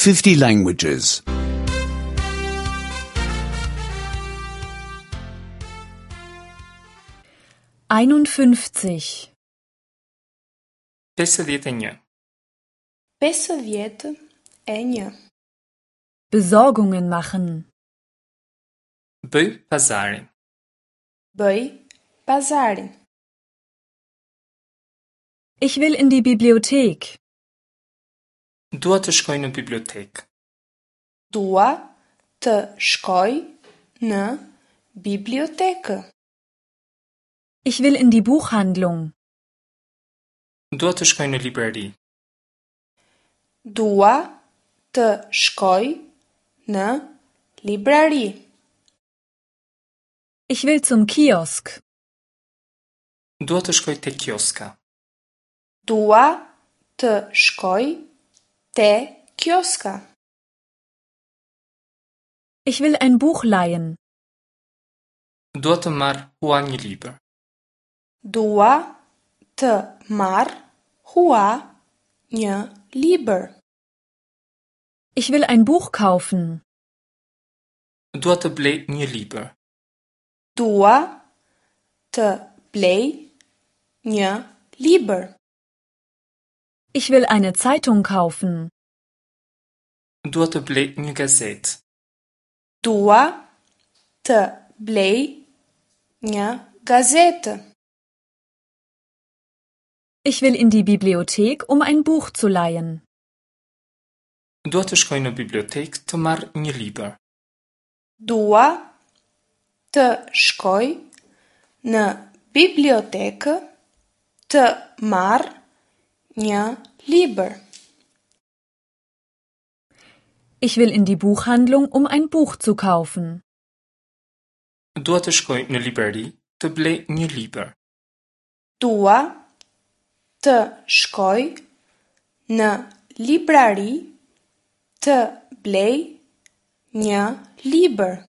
50 languages. 51. 51. 51. Besorgungen machen. Bëj pazarin. Bëj pazarin. Ich will in die Bibliothek. Dua të shkoj në bibliotekë. Dua të shkoj në bibliotekë. Ich will in die Buchhandlung. Dua të shkoj në librari. Dua të shkoj në librari. Ich will zum Kiosk. Dua të shkoj te kioska. Dua të shkoj te kioska. Ich will ein Buch leihen. Dua të marr hua një libër. Dua të marr hua një libër. Ich will ein Buch kaufen. Dua të blej një libër. Dua të blej një libër. Ich will eine Zeitung kaufen. Dua të blej një gazetë. Dua të blej një gazetë. Ich will in die Bibliothek, um ein Buch zu leihen. Dua të shkoj në bibliotekë të marr një libër. Dua të shkoj në bibliotekë të marr një libër. Ich will in die Buchhandlung, um ein Buch zu kaufen. Dua të shkoj në librari të blej një libër. Dua të shkoj në librari të blej një libër.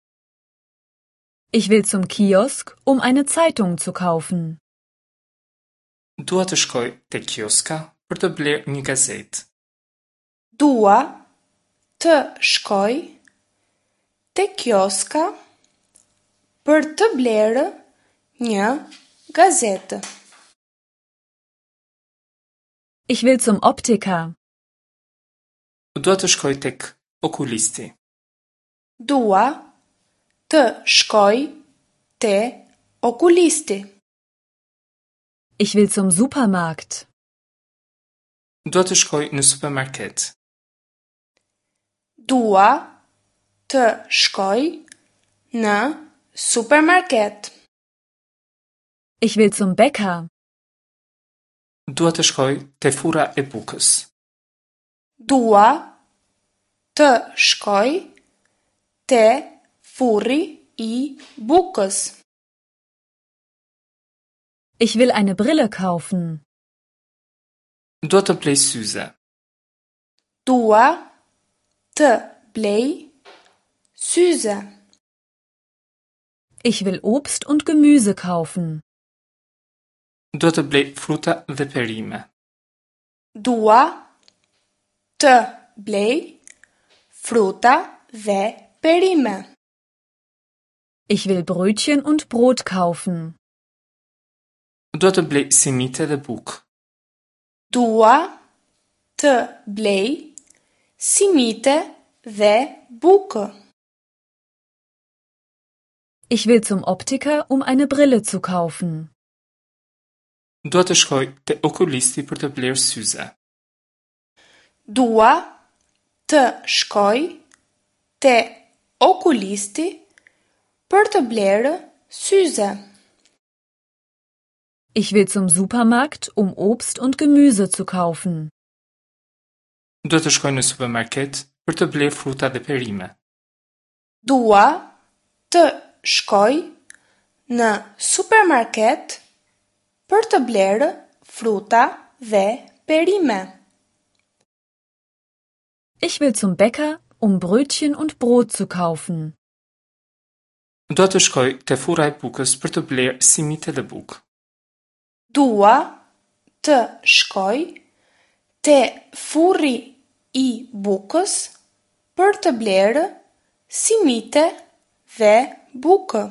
Ich will zum Kiosk, um eine Zeitung zu kaufen. Dua të shkoj te kioska për të blerë një gazetë. Dua të shkoj te kioska për të blerë një gazetë. Ich will zum Optiker. Dua të shkoj tek okulisti. Dua të shkoj te okulisti. Ich will zum Supermarkt. Dua të shkoj në supermarket. Dua të shkoj në supermarket. Ich will zum Bäcker. Dua të shkoj te furra e bukës. Dua të shkoj te furri i bukës. Ich will eine Brille kaufen. Dua të blej syze. Dua të blej syze. Ich will Obst und Gemüse kaufen. Dua të blej fruta dhe perime. Dua të blej fruta dhe perime. Ich will Brötchen und Brot kaufen. Dua të blej simite dhe bukë. Dua të blej simite dhe bukë. Ich will zum Optiker, um eine Brille zu kaufen. Dua të shkoj te okulisti për të blerë syze. Dua të shkoj te okulisti për të blerë syze. Ich will zum Supermarkt, um Obst und Gemüse zu kaufen. Dua të shkoj në supermarket për të blerë fruta dhe perime. Dua të shkoj në supermarket për të blerë fruta dhe perime. Ich will zum Bäcker, um Brötchen und Brot zu kaufen. Dua të shkoj te furra e bukës për të blerë simite dhe bukë. Dua të shkoj te furri i bukës për të blerë simite dhe bukë.